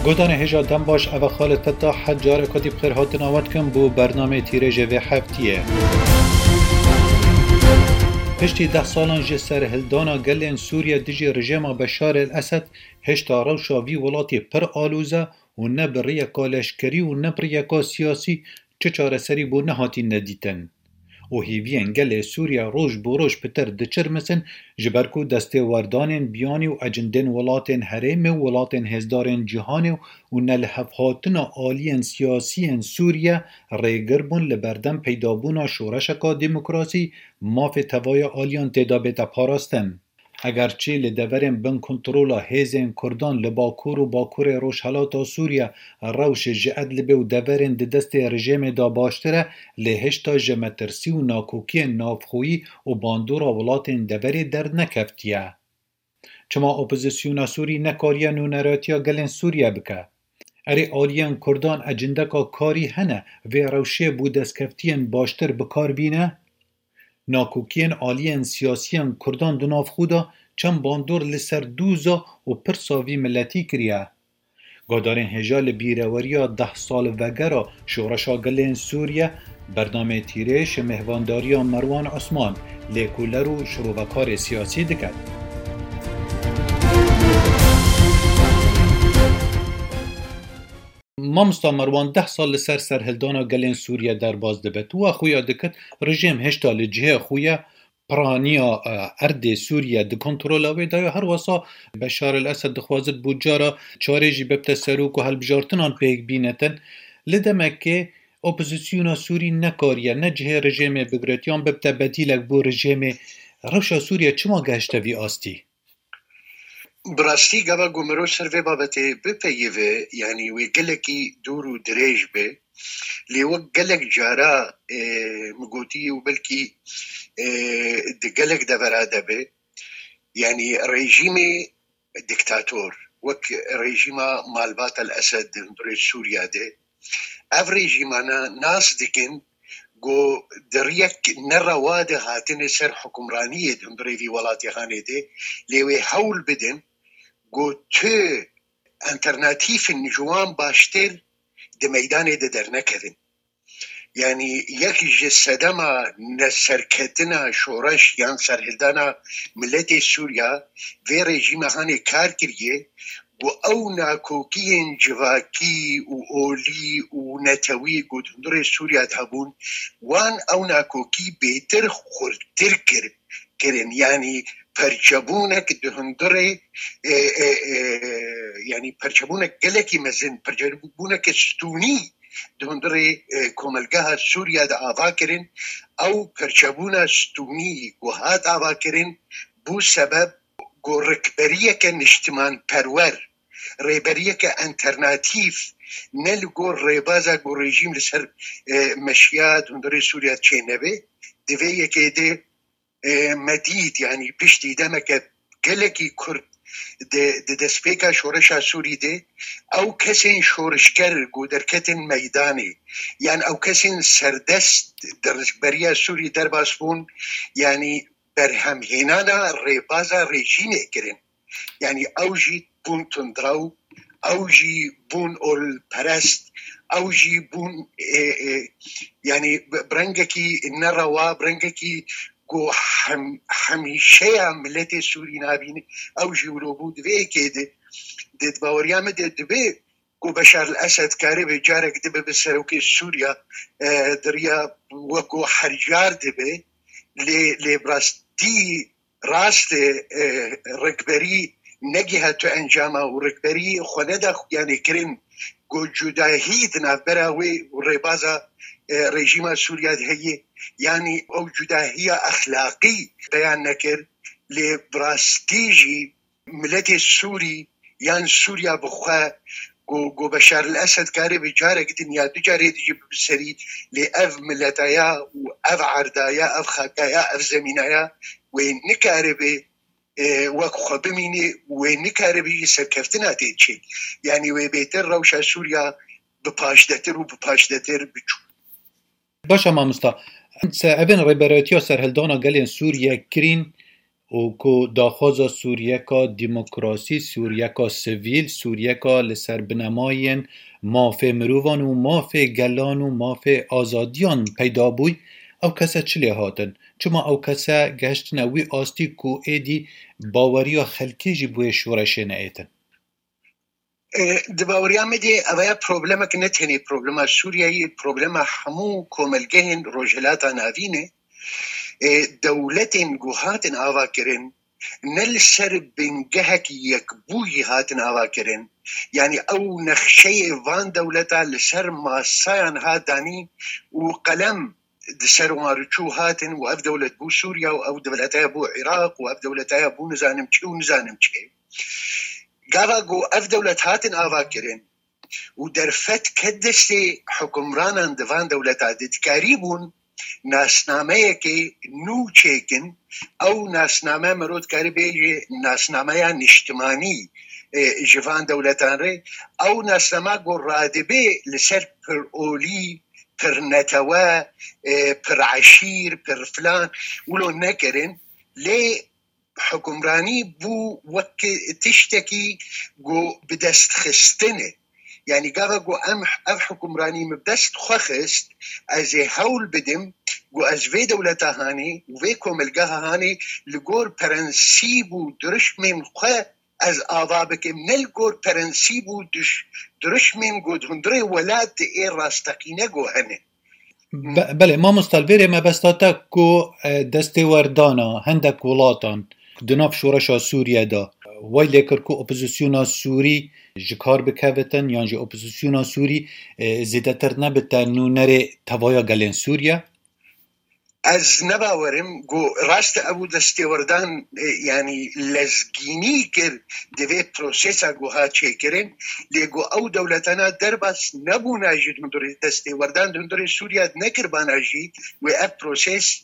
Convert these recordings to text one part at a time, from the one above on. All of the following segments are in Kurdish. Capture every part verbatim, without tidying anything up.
Godanê hêja dem baş, eva Xalid Fettah, her careka dî bi xêr hatina we dikim bo bernameyê tîrêjê vê heftiyê. Piştî deh salan ji serhildana gelên Sûriye dijî rejêma Beşar el Esed, hêşta rewşa vî welatî pir alûz e û ne bi riyeka leşkerî û ne bi riyeka siyasî çi çareserî bo nehatîne dîtin. Û hêviyên gelê Sûriye roj bo roj pitir diçirmisin, ji ber ku destêwerdanên biyanî û ecindên welatên herêmê û welatên hêzdarên cîhanê û nelihevhatina aliyên siyasî yên Sûriye rêgir bûn li berdem peydabûna şoreşeka demokrasî, mafê tevaya aliyan tê de bête parastin. Egerçî li deverên bin kontrola hêzên Kurdan li Bakur û Bakurê Rojhelata Sûriye rewş ji Idlibê û deverên di destê rejêmê de baştir e, lê hêşta ji metirsî û nakokiyên navxweyî û bandora welatên deverê dernekeftiye. Çima opozisyona Sûrî nekariye nûneratiya gelên Sûriye bike? Erê, aliyên Kurdan ecindeka karî hene vê rewşê bo destkeftiyên baştir bi kar bîne? Nakokiyên aliyên siyasiyên Kurdan di nav xwe de çend bandor li ser doza û pirsa vî miletî kiriye. Guhdarên hêja, li bîreweriya deh sal vegera şoreşa gelên Sûriye, bernameyê Tîrêj mêhvandariya Merwan Osman, lêkoler û şirovekarê siyasî diket. Mamosta Merwan, deh sal li ser serhildana gelên Sûriye derbas dibe. Tu wa xuya dikit, rejîm hêşta li cihê xwe ye, piraniya, e, erdê Sûriye di kontrola wê de ye. Her wesa Beşar el Esed dixwazit bo cara çarê jî bibte serok û hilbijartinan pêk bînetin. Li demekê opozisyona Sûrî nekariye ne cihê rejêmê bigret yan bibte bedîlek bo rejêmê. Rewşa Sûriye çima gehişte vî astî? Bi rastî, gava ku mirov ser vê babetê bipeyive, yanî wê gelekî dûr û dirêj be, lê wek gelek cara, e, min gotî û belkî, e, di gelek devera de be, yanî rejîmê diktator, wek rejîma malbat El Esed di hundirê Sûriya de, ev rejîmana nas dikin ku di riyek nerewa de hatine ser hukimraniyê di hundirê vî welatê hanê de, lê wê hewl bidin ku tu alternatîfên ji wan baştir di meydanê de dernekevin. Yanî yek ji sedema neserketina şoreş yan serhildana miletê Sûriya vê rejîma hanê kar kiriye ku ew nakokiyên civakî û olî û netewî ku di hundirê Sûriya de hebûn, wan ew nakokî bêtir xurtir kir, kirin. Yanî perçebûnek di hundirê, e, e, e, yanî perçebûnek gelekî mezin, perçebûneke stûnî di hundirê, e, komelgeha Sûriya de ava kirin. Ew perçebûna stûnî ku hat ava kirin, bû sebeb ku rikberiyeke niştimanperwer, rêberiyeke alternatîf, ne li gor rêbaza ku rejîm li ser, e, meşiya di hundirê Sûriya çênebe, di vê yekê de, e, me dît, yanî piştî demeke gelekî kurt di, di destpêka şoreşa Sûrî de, ew kesên şorişger ku derketin meydanê, yan ew kesên serdest di rikberiya Sûrî derbas bûn, yanî berhemhênana rêbaza rejîmê kirin. Yanî ew jî bûn tundrew, ew jî bûn olperest, ew jî bûn, e, e, yanî bi, bi rengekî nerewa, bi rengekî ku hem, hemîşeya miletê Sûrî nabîne, ew jî wilo bû. Di vê yekê de, di, di baweriya me de dibe ku Beşar el Esed karibe carek dibe bi serokê Sûriya, e, di riya weko her car dibe, lê, lê bi rastî rast e, e, rikberî negiha tu encama û rikberî xwe neda xuyanê kirin ku cudahî di navbera wê û rêbaza, e, rejîma Sûriya de heye. Yanî ew cudahiya exlaqî beyan nekir, lê bi rastî jî miletê Sûrî yan Sûriya bi xwe ku, ku Beşar el Esed karibe carek din ya du carê dijî bibe serî, lê ev miletaya û ev erdaya, ev xakaya, ev zemînaya wê nikaribe, e, wek xwe bimîne, wê nikaribe jî serkeftina tê çê. Yanî wê bêtir rewşa Sûriya bi paşdetir û bi paşdetir biçû. Baş e mamosta. Se-, evên rêberayetiya serhildana gelên Sûriye kirîn û ku daxwaza Sûriyeka demokrasî, Sûriyeka sivîl, Sûriyeka li ser binemayên mafê mirovan û mafê gelan û mafê azadiyan peyda bûy, ew kese çi lê hatin? Çima ew kese gehiştine wî astî ku êdî baweriya xelkê jî bi wê şoreşê neêtin? E, di baweriya me de ev ya problemek ne tenê problema Sûriyeyê, problema hemû komelgehên Rojhilata Navîn e. E, dewletên ku hatin avakirin, ne li ser bingehek yekbûyî hatin avakirin. Yanî ew nexşeyê van dewleta li ser masayan hat danîn û qelem di ser wan re çû hatin û ev dewlet bû Sûriya û ev dewlet heye bû Iraq û ev dewlet heye bû nizanim çi û nizanim çi. Gava ku ev dewlet hatin avakirin û derfet ket destê hukimranan di van dewleta de, dikarîbûn nasnameyekê nû çêkin. Ew nasname mero dikare bêje nasnameya niştimanî, e, ji van dewletan re. Ew nasname ku radibe li ser pirolî, pirnetewe, e, pireşîr, pirfilan, wilo nekirin. Lê hukimranî bû wek tiştekî ku bi dest xistin e. Yanî gava ku em ev hukimranî min bi dest xwe xist, ez ê hewl bidim ku ez vê dewleta hanê û vê komelgeha hanê li gor prensîb û dirişmên xwe ez ava bikim, ne li gor prensîb û diş-, dirişmên ku di hundirê welat ê rasteqîne ku hene. Be-, belê, mamosta, li vêrê mebesta te ku, e, destêwerdana hindek welatan di nav şoreşa Sûriye de, way lê kir ku opozisyona Sûrî ji kar bikevitin, yan jî opozisyona Sûrî, e, zêdetir nebite nûnerê tevaya gelên Sûriye? Ez ne bawerim ku rast e, ew destêwerdan, e, yanî lezgînî kir di vê prosesa ku hat çêkirin, lê ku ew dewletana derbas nebûna jî di hundirê destêwerdan di hundirê Sûriye de nekirbana jî wê ev proses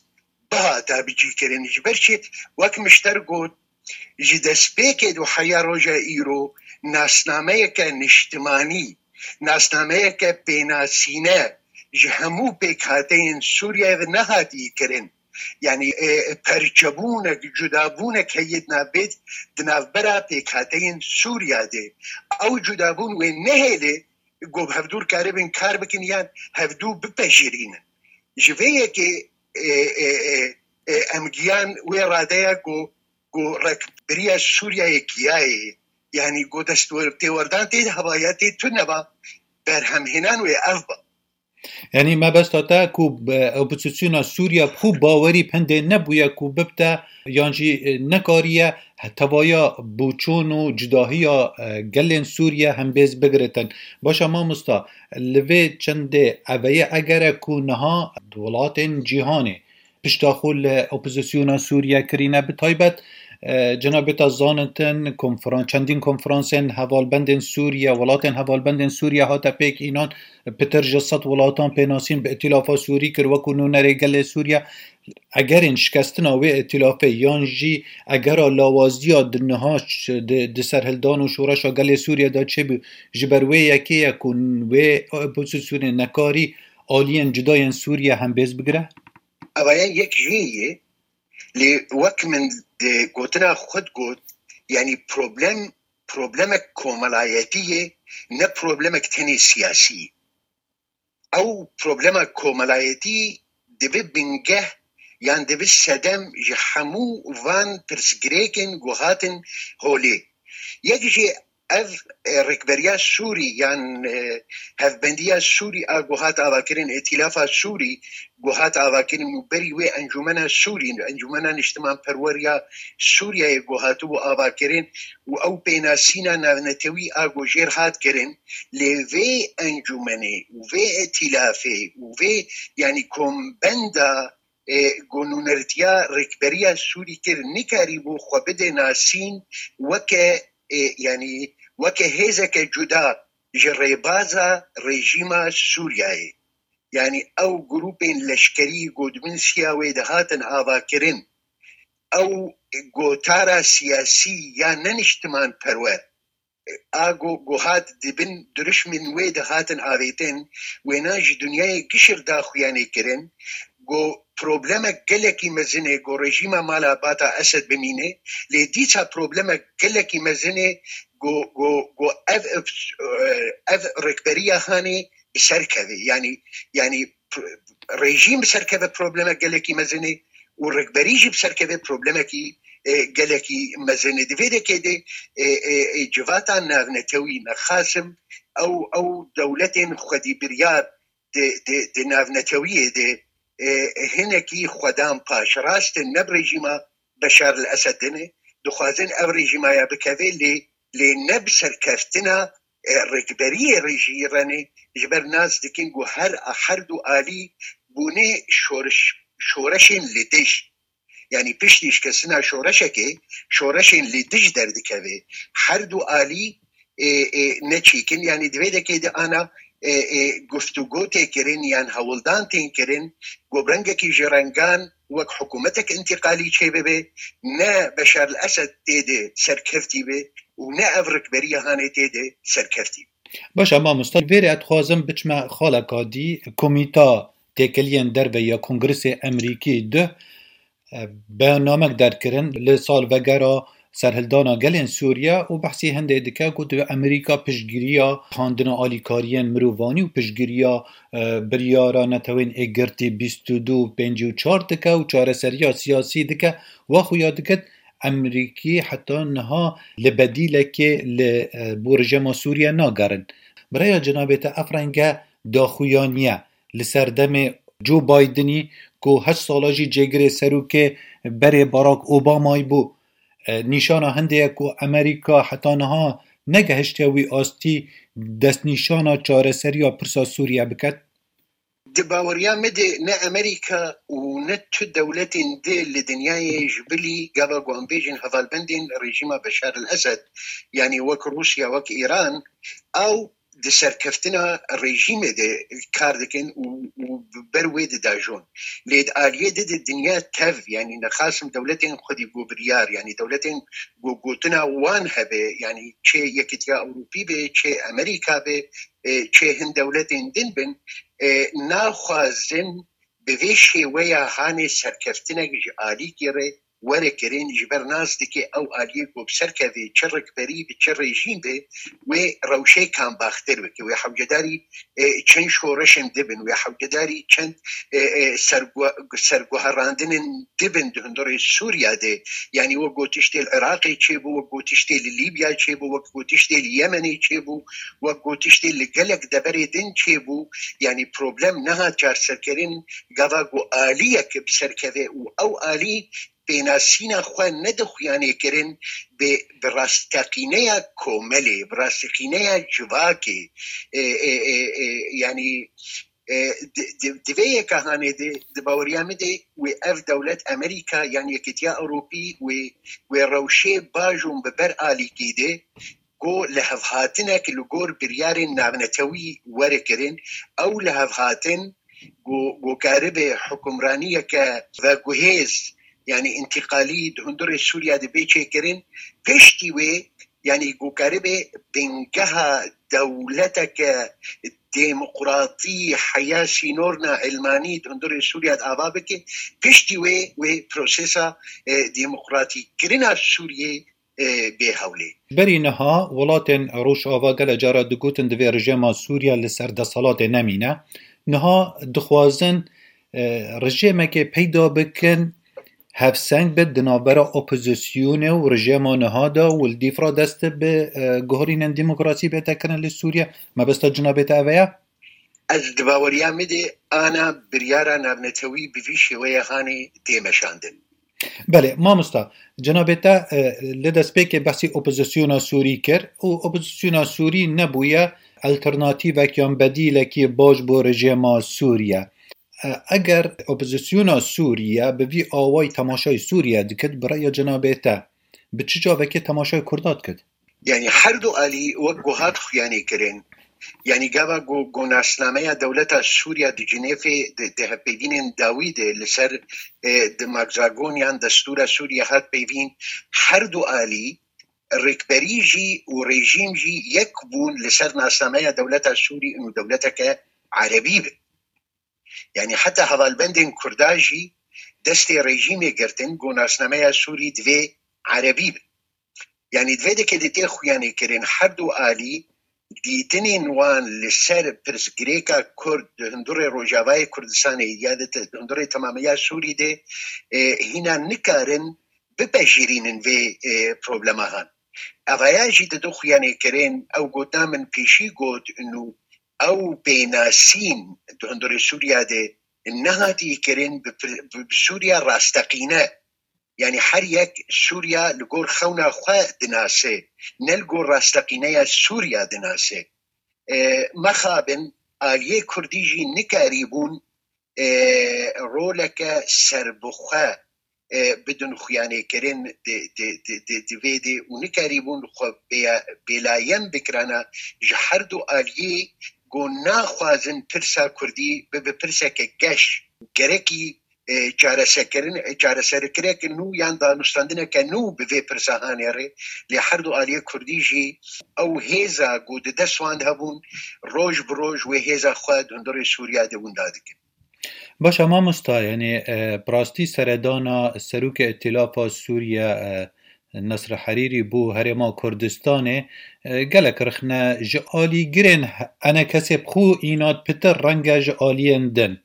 bihata bicîkirin. Ji ber çi, wek min ji te re got, ji destpêkê do heya roja îro nasnameyeke niştimanî, nasnameyeke pênasîne ji hemû pêkhateyên Sûriyeyê ve nehatî kirin. Yanî, e, perçebûnek, cudabûnek heye di navbêt, di navbera pêkhateyên Sûriya de. Ew cudabûn wê nehêle ku bi hevdû karibin kar bikin yan hevdû bipejirînin. Ji vê yekê, e, e, e, e, em giyan wê radeya ku, ku rêkberiya Sûriyeyê giyayê, yanî ku dest wer-, têwerdan tê de hebaya tê tune ba, berhemhênan wê ev ba. Yanî mebesta te ku bi opozisyona Sûriye bi xwe bawerî bi hindê nebûye ku bibte, yan jî, e, nekariye tevaya boçûn û cudahiya, e, gelên Sûriye hembêz bigiritin. Baş e mamosta, li vê çendê eveye eger e ku niha welatên cîhanê pişta xwe li opozisyona Sûriye kirîne, bi taybet, e, cenabê te zanitin, konferan-, çendîn konferansên hevalbendên Sûriye, welatên hevalbendên Sûriye hate pêk înan, pitir ji sed welatan pênasîn bi Îtîlafa Sûrî kir wekû nûnerê gelê Sûriye. Egerên şikestina wê îtîlafê yan jî egera lawaziya di niha ş-, di, di serhildan û şoreşa gelê Sûriye de çêbû, ji ber wê yekê ye ku wê opozisyonê nekarî aliyên cudayên Sûriye hembêz bigire? Ev ye yek jê ye, lê wek min di gotina xwe de got, yanî problem, problemek komelayetî ye, ne problemek tenê siyasî ye. Ew problema komelayetî dibe bingeh yan dibe sedem ji hemû van pirsgirêkên ku hatin holê. Yek jî ev, e, rêkberiya Sûrî yan, e, hevbendiya Sûrî a ku hat avakirin, Îtîlafa Sûrî ku hat avakirin û berî wê Encûmena Sûrî, Encûmena Niştimanperwer ya Sûriyeyê ku hatibû avakirin û ew pênasîna navnetewî a ku jêr hat kirin, lê vê encûmenê û vê îtîlafê û vê, yanî kombenda, e, ku nûnertiya rêkberiya Sûrî kir, nikarîbû xwe bide nasîn weke, e, yanî weke hêzeke cuda ji rêbaza rejîma Sûriyeyê. Yanî ew grûpên leşkerî ku di bin siya wê de hatin avakirin, ew gotara siyasî ya ne niştimanperwer, a ku, ku hat di bin dirişmên wê de hatin avêtin, wêna ji dinyayê gişir daxuyanê kirin, ku problemek gelekî mezin ê ku rejîma mala bata Esed bimîne, lê dîsa problemek gelekî mezin ê ku, ku, ku ev, ev, ev rêkberiya hanê bi ser keve. Yanî, yanî pr-, rejîm bi ser keve problemek gelekî mezin ê û rêkberî jî bi ser keve problemekî, e, gelekî mezin ê. Di vê dekê de, e, e, e, civata navnetewî, nexasim ew, ew dewletên xwedî biryar di, di, di navnetewiyê de, e, hinekî xwedan paş. Rast e, ne bi rejîma Beşar el Esed din e, dixwazin ev rejîma ya bikeve, lê, lê ne bi serkeftina, e, rêkberiyê rejî re ne, ji ber nas dikin ku her, her du alî bûne şoriş, şoreşên li dij. Yanî piştî şikestina şoreşekê, şoreşên li dij derdikeve. Her du alî, e, e, neçîkin, yanî di vê dekê de ana, e, e, guftûgo tê kirin yan hewldan tên kirin, ku bi rengekî ji rengan wek hikûmetek întîqalî çêbibe, ne Beşar el Esed tê de serkeftî be û ne ev rikberiya hanê tê de serkeftî be. Baş e, mamosta, vêrê ez dixwazim biçime xaleka dî, komîta têkiliyên derve ya Kongresê Emerîkî du, e, beyannamek derkirin li salvegera serhildana gelên Sûriye û behsî hindê dike ku di Emerîka piştgiriya handina alîkariyên mirovanî û piştgiriya, e, biryara Netewên Êgirtî bîst û du û pêncî û çar dike û çareseriya siyasî dike. Wa xuya dikit, Emerîkî heta niha li bedîlekê li, e, bo rejîma Sûriye nagerin. Bi raya cenabê te ev renge daxuyaniye li ser demê Joe Bidenî ku heşt sala jî cêgirê serokê berê Barack Obamayî bû. E, nîşana hindê ye ku Emerîka heta niha negehiştiye wî astî destnîşana çareseriya pirsa Sûriye biket. Di baweriya me de ne Emerîka û ne tu dewletên di li dinyayê ji bilî gava ku em bêjin hevalbendên rejîma Beşar el Esed, yanî wek Rûsya, wek Îran, ew di serkeftina rejîmê de kar dikin û, û ber wê didajon. Lê di aliyê di, di dinya tev, yanî nexasim dewletên xwedî gobiryar, yanî dewletên ku gotina wan hebe, yanî çê Yekîtiya Ewropî be, çê Emerîka be, e, çê hin dewletên din bin, e, naxwazin bi vê şêweya hanê serkeftinek ji alîkî re were kirin, ji ber nas dike ew aliyê ku bi ser kevê çi rikberî bi çi rejîm be, wê rewşê kambaxtir bike, wê hewcedarî, e, çend şoreşên dibin, wê hewcedarî çend, e, e, sergu-, serguherandinên dibin di hundirê Sûriya de. Yanî wek gotiştê li Iraqê çêbû, wek gotiştê li Lîbya çêbû, wek gotiştê li Yemenê çêbû, wek gotiştê li gelek deverê din çêbû. Yanî problem nehat çarserkirin, gava ku aliyek bi ser keve û ew alî pênasîna xwe nedixuyanê kirin bi, bi rasteqîneya komelê, bi rasteqîneya civakê. E, e, e, e, yanî, e, di, di, di vê yeka hanê de, di baweriya min de wê ev dewlet Emerîka yan Yekîtiya Ewropî wê, wê rewşê bajon bi ber alîkî de ku lihevhatinek li gor biryarên navnetewî were kirin, ew lihevhatin ku, ku karibe hukimraniyeke veguhêz, yanî întîqalî di hundirê Sûriya de bê çêkirin, piştî wê, yanî ku karibe bingeha dewleteke demokratî, heya sînorna ilmanî di hundirê Sûriya de ava bike, piştî wê, wê prosesa, e, demokratîkirina Sûriyê, e, bê hewlê. Berî niha welatên Rojava gele cara digotin divê rejêma Sûriye li ser desthilatê nemîne. Niha dixwazin, e, rejêmekê peyda bikin, hevseng be di navbera opozisyonê û rejêma niha de û li dîf re dest bi, e, guherînên demokrasî bête kirin li Sûriye. Mebesta cinabê te ev e ya? Ez di baweriya min de ana biryara navnetewî bi vî şêweyê hanê tê meşandin. Belê, mamosta, cenabê te, e, li destpêkê behsî opozisyona Sûrî kir û opozisyona Sûrî nebûye alternatîvek yan bedîlekî baş bo rejêma Sûriye. E, eger opozisyona Sûriye bi vî awayî temaşayê Sûriye dikit, bi raya cenabê te, bi çi çavekê temaşayê Kurda dikit? Yanî her du alî wek ku hat xuyanî kirin. Yanî gava ku, ku nasnameya dewleta Sûriya di Cinêfê di, di hevpeyvînên dawî de li ser, e, di magzagoniyan destûra Sûriya hat peyvîn, her du alî rêkberî jî û rejîm jî yek bûn li ser nasnameya dewleta Sûrî û dewleteke erebî be. Yanî heta hevalbendên Kurda jî destê rejîmê girtin ku nasnameya Sûrî divê erebî bin. Yanî divê dike di tê xuyanê kirin her du alî dîtinên wan li ser pirsgirêka Kurd di hundirê Rojavayê Kurdistanê ya di te-, di hundirê temameya Sûrî de, e, hîna nikarin bipejirînin vê, e, problema han. Evaya jî di du xuyanê kirin, ew gotina min pêşî got, û ew pênasîn di hundirê Sûriya de nehatî kirin bi pir-, bi, bi Sûriya rasteqîne. Yanî her yek Sûriya li gor xewna xwe dinase, ne li gor rasteqîneya Sûriya dinase. E, mexabin aliyê Kurdî jî nikarîbûn, e, roleke serbixwe, e, bidin xuyanêkirin di, di, di, di, di vê de û nikarîbûn xwe bêya-, bêlayen bikirana ji her du aliyê ku naxwazin pirsa Kurdî bibe pirseke geş. Gerekî, e, çareserkirin, e, çareserkirek nû yan danûstandineke nû bi vê pirsa hanê re. Lê her du aliyê Kurdî jî ew hêza ku di dest wan de hebûn, roj bi roj wê hêza xwe di hundirê Sûriya de winda dikin. Baş e mamosta, yanî, e, bi rastî seredana Serokê Îtîlafa Sûriye, e, Nesr Herîrî bo Herêma Kurdistanê, e, gelek rixne ji alîgirên enekesê bi xwe înat pitir renge ji aliyên din.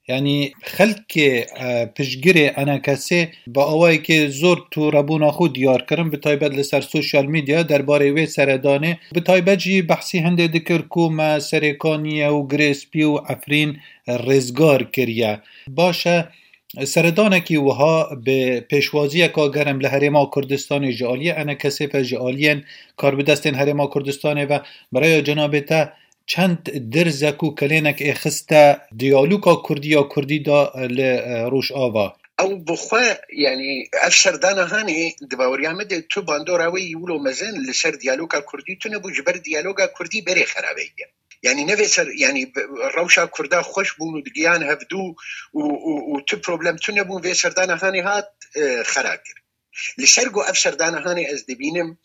Yanî xelkê, e, piştgirê enekesê bi awayekê zor tûrebûna xwe diyar kirin, bi taybet li ser sosyal medya derbarê wê seredanê, bi taybet jî behsî hindê dikir ku me Serêkaniyê û Girê Spî û Efrîn rêzgar kiriye. Baş e, seredanekî wiha bi pêşwaziyeka germ li Herêma Kurdistanê ji aliyê enekesê ve, ji aliyên karbidestên Herêma Kurdistanê ve, bi raya cenabê te çend dirzek û kelênek ê xiste diyaloga Kurdî ya Kurdî da li, e, Rojava? Ew bi xwe, yanî ev serdana hanê di baweriya min de tu bandora wê yî wilo mezin li ser diyaloga Kurdî tune bû, ji ber diyaloga Kurdî berê xerabeyiye. Yanî ne vê ser, yanî rewşa Kurda xweş bûn û digiyan hevdû û, û, û tu problem tune bûn, vê serdana hanê hat, e, xera kir. Li ser ku ev serdana hanê ez dibînim,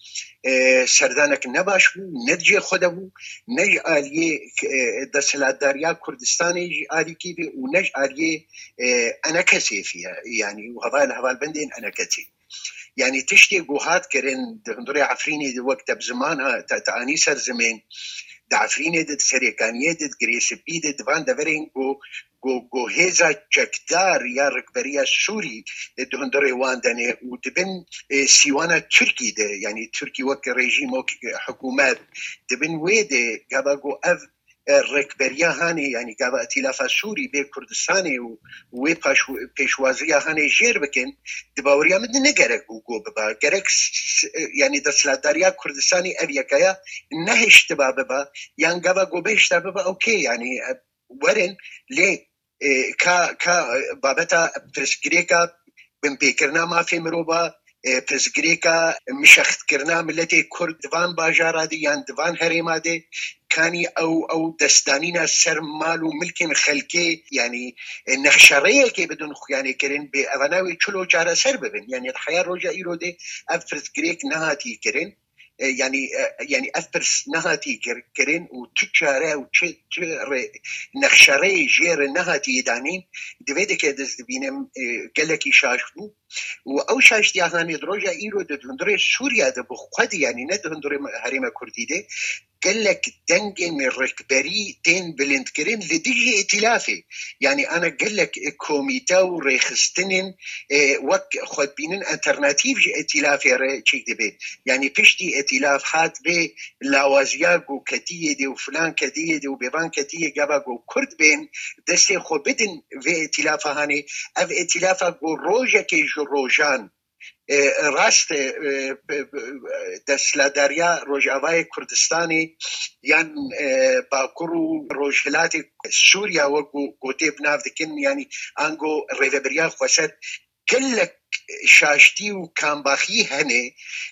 e, serdanek ne baş bû, ne di cihê xwe de bû, ne ji aliyê, e, desthilatdariya Kurdistanê jî alîkî bê û ne ji aliyê, e, enekesê fiye, yanî û heval, hevalbendên enekesê. Yanî tiştê ku hat kirin di hundirê Efrînê de wek te bi ziman ha, te, te anî ser zimên, di Efrînê de, di Serêkaniyê de, di Girê Spî de, di van deverên ku, ku, ku hêza çekdar ya rikberiya Sûrî, e, di hundirê wan de ne û di bin, e, sîwana Tirkî de, yanî Tirkî wek rejîm, wek, e, hikûmet, di bin wê de gava ku ev, e, rikberiya hanê, yanî gava Îtîlafa Sûrî bê Kurdistanê û wê paş-, pêşwaziya hanê jêr bikin, di baweriya min de ne gerek bû ku biba. Gerek s-, s-, e, yanî desthilatdariya Kurdistanê ev yekaya nehiştiba biba, yan gava ku bihişta biba, okey, yanî, e, werin, lê, e, ka, ka, e, babeta pirsgirêka binpêkirina mafê mirova, e, pirsgirêka mişextkirina miletê Kurd di van bajara de yan di van herêma de, kanî ew, ew destdanîna ser mal û milkên xelkê, yanî, e, nexşereyekê bidin xuyanê kirin, bê evana wê çilo çareser bibin. Yanî di heya roja îro de ev pirsgirêk nehatî kirin. E, yanî, e, yanî ev pirs nehatî kir-, kirin û tu çare û çi, çi rê, nexşereyê jê re nehatî danîn, di vê dike ez dibînim, e, gelekî şaş bû. Û ew şaştiya hanê di roja îro de di hundirê Sûriya de bi xwe de, yanî ne di hundirê me-, herêma Kurdî de, gelek dengên rikberî tên bilindkirin li dijî îtîlafê. Yanî ana gelek komîte û rêxistinên, e, wek xwedibînin alternatîf ji îtîlafê re çêk dibe. Yanî piştî îtîlaf hat vê lawaziya ku ketiyê de û filan ketiyê de û bêvan ketiyê gava ku Kurd bên destê xwe bidin vê îtîlafa hanê. Ev îtîlafa ku rojekê ji rojan, e, rast e, e, desthilatdariya Rojavayê Kurdistanê yan, e, Bakur û Rojhilatê Sûriya wek ku gotê bi nav dikin, yanî ango Rêveberiya Xweser gelek şaştî û kambaxî hene,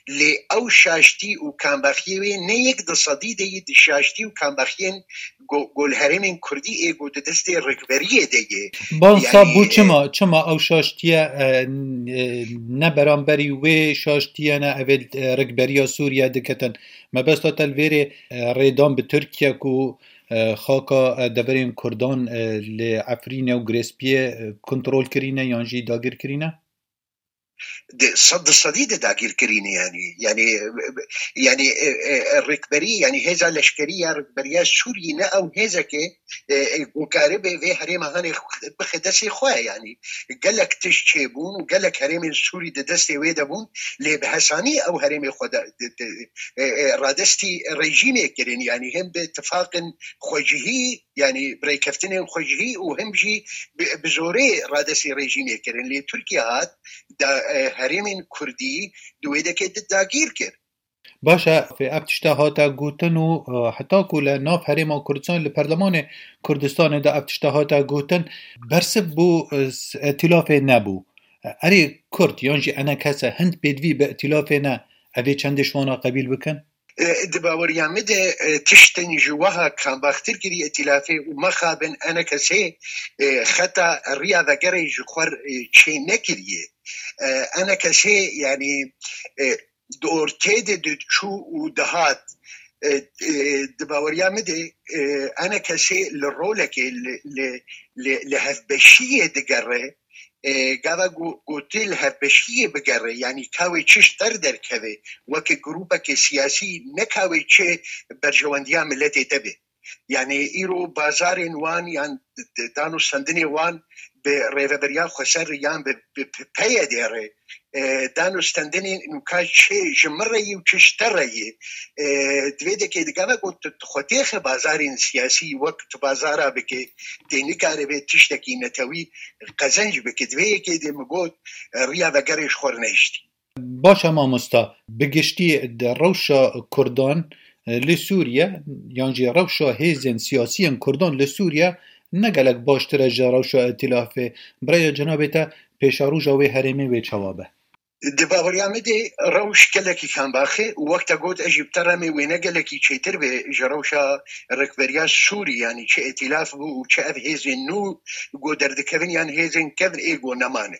lê ew şaştî û kambaxiyê wê ne yek di sedî de yê di şaştî û kambaxiyên go-, go li herêmên Kurdî ê go di destê rikberiyê de yê. Bansa bû, e, çima, çima ew şaştiye, e, n-, e, ne beramberî wê şaştiye ne evê, e, rikberiya Sûriye diketin? Mebesta te li vêrê, e, rêdan bi Tirkiye ku e, xaka, e, deverên Kurdan, e, li Efrînê û Girêspiyê, e, kontrol kirîne yan jî dagir kirîne? Di sed di sedî de dagir kirîne, yanî, yanî, yanî, e, e, e, rêkberî, yanî hêza leşkerî ya rêkberiya Sûriyê ne ew hêzeke, e, e, ku karibe vê herêma hanê bixe destê xwe, yanî gelek tişt çêbûn û gelek herêmên Sûrî di destê wê de bûn, lê bi hesanî ew herêmê xwe de, de, de, e, e, radestî rejîmê kirin, yanî hem bi tifaqên xwecihî, yanî bi rêkeftinên xwecihî û hem jî bi, bi zorê radestî rejîmê kirin. Lê Tirkiye hat da, e, herêmên Kurdî di wê dekê di dagîr kir. Baş e, ev tişta hate gotin û, e, heta ku li nav herêma Kurdistan, li Perlemanê Kurdistanê de ev tişta hate gotin, bersiv bû, e, s-, îtîlafê nebû. Erê Kurd yan jî enekese hind pêdivî bi îtîlafê ne, ev ê çendê ji wana qebîl bikin? E, di baweriya min de, e, tiştên ji weha kambaxtir kirî îtîlafê û mexabin enekesê, e, xeta riya vegerê ji xwe, e, çê nekiriye. E, enekesê, yanî, e, di ortê de diçû û dihat. E, e, di baweriya min de, e, enekesê li rolekê, li, li, li, li hevbeşiyê digere, e, gava ku, ku tu li hevbeşiyê bigere, yanî ka wê çi ji te re derkeve, weke grûpeke siyasî, ne ka wê çi berjewendiya miletê te be. Yanî îro bazarên wan yan d-, d-, danûstendinê wan bi Rêveberiya Xweser yan bi, bi P-, P Y D re, e, danûstendinên nûka çi ji min re yî û çi ji te re yî. E, di vê dekê digava ku tu, tu xwe têxe bazarên siyasî wek tu bazara bike, tê nikaribe tiştekî netewî qezenc bike. Di vê yekê de min got, e, riya vegerê ji xwe re nehiştî. Baş e mamosta, bi giştî di rewşa Kurdan, e, li Sûriye yan jî rewşa hêzên siyasiyên Kurdan li Sûriye ne gelek baştir e ji rewşa îtîlafê. Bi raya cenabê te pêşeroja wê herêmê wê çawa be? Di baweriya min de rewş gelekî kambax e û wek te got ez jî bi te re me wê ne gelekî çêtir be ji rewşa rêkberiya Sûrî, yanî çi îtîlaf bû û çi ev hêzên nû ku derdikevin yan hêzên kevn ê ku nemane.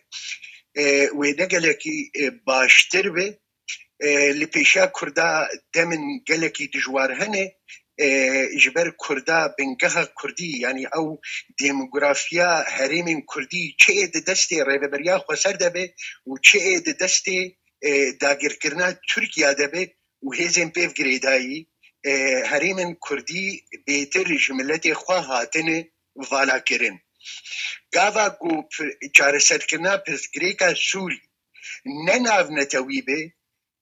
E, wê ne gelekî, e, baştir be. E, li pêşiya Kurda demên gelekî dijwar hene. E, ji ber Kurda, bingeha Kurdî, yanî ew demografiya herêmên Kurdî çi ê di destê Rêveberiya Xweser de be û çi ê di destê, e, dagirkirina Tirkiye de be û hêzên pêv girêdayî, e, herêmên Kurdî bêtir ji miletê xwe hatine valakirin. Gava ku pi-, çareserkirina pirsgirêka Sûrî ne navnetewî be,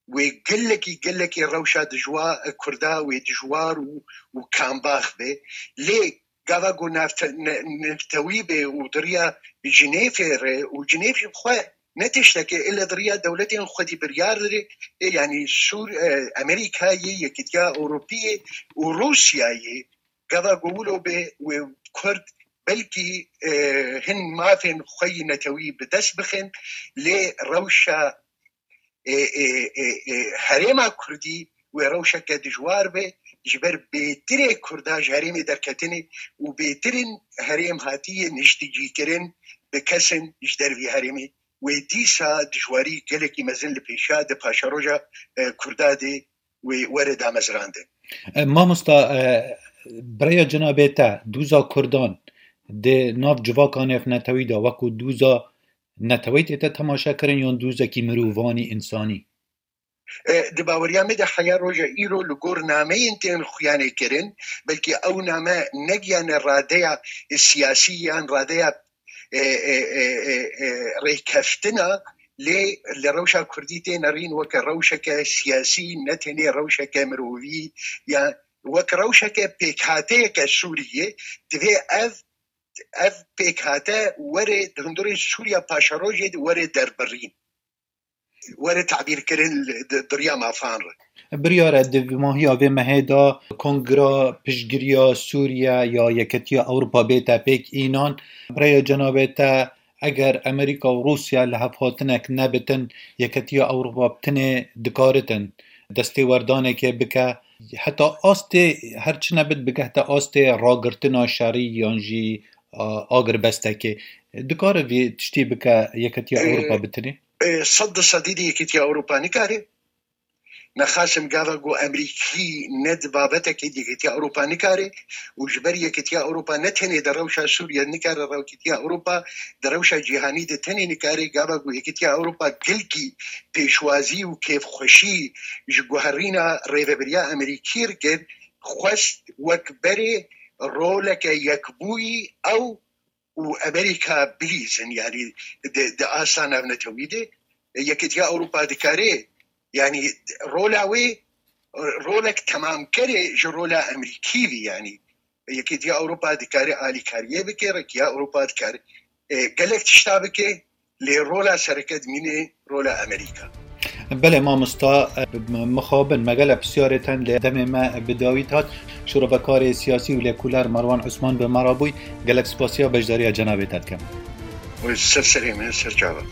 wê gelekî, gelekî rewşa dijwa-, Kurda wê dijwar û, û kambax be. Lê gava ku navte-, ne-, navnetewî be û di riya Cinêfê re û Cinêf jî bi xwe ne tiştekê, ile di riya dewletên xwedî biryar re, ê, yanî Sûr-, e, Amerîkayê, Yekîtiya Ewropî û Rûsyayê, gava ku wilo be wê Kurd belkî, e, hin mafên xwe yî netewî bi dest bixin, lê rewşa, e, e, e, e, herêma Kurdî wê rewşeke dijwar be, ji ber bêtirê Kurda ji herêmê derketinê û bêtirên herêm hatiye niştîcîkirin bi kesin ji dervî herêmê. Wê dîsa dijwarî gelekî mezin li pêşiya di paşeroja, e, Kurda de wê were damezrandin. E, mamosta, e, bi raya cenabê te, dûza Kurdan di nav civaka navnetewî de wekû dûza neteweyî tête temaşe kirin yan dûzekî mirovanî, însanî? E, di baweriya me de heya roja îro li gor nameyên tên xuyanê kirin, belkî ew name negiyane radeya siyasî yan radeya, e, e, e, e, e, rêkeftina, lê li rewşa Kurdî tê nerîn weke rewşeke siyasî, ne tenê rewşeke mirovî, ya wek rewşeke pêkhateyeke Sûriyê, divê ev, ev pêkhate were di hundirê Sûriya paşerojê de were derbirîn. Were tabîrkirin li, di, di riya mafan re. Biryar e di mahiya vê mehê de Kongra Piştgiriya Sûriye ya Yeketiya Ewropa bête pêk înan. Bi raya cenabê te, eger Amerîka û Rûsya li hevhatinek nebitin, Yeketiya Ewropa bi tinê dikaritin destêwerdanekê bike, heta astê her çi nebit bigehte astê ragirtina şerî yan jî, a, agirbestekê. Dikare vê tiştî bike Yeketiya Ewropa bi tinê? E, sed di sedî de Yekîtiya Ewropa nikare. Nexasim gava ku Emerîkî ne di babetekê di Yekîtiya Ewropa nikare û ji ber Yekîtiya Ewropa ne tenê di rewşa Sûriye nikare, Yekîtiya Ewropa di rewşa cîhanî de tenê nikare. Gava ku Yekîtiya Ewropa gelkî pêşwazî û kêfxweşî ji guherîna rêvebiriya Emerîkî re kir, xwest wek berê roleke yekbûyî ew û Emerîka bilîzin, yanî di, di asta navnetewî de Yekîtiya Ewropa dikare, yanî rola wê rolek temamkerê ji rola Emerîkî bî, yanî Yekîtiya Ewropa dikare alîkariyê bike, Yekîtiya Ewropa dikare, e, gelek tişta bike, lê rola sereke dimîne rola Emerîka. Belê mamosta, e, mixabin, me gelek pisyarê ten lê demê me bi dawî hat. Şorevekarê siyasî û lêkolên Merwan Osman bi me re bûy. Gelek spasiya beşdariya cenabê te dikim. Ser serê me, ser çava.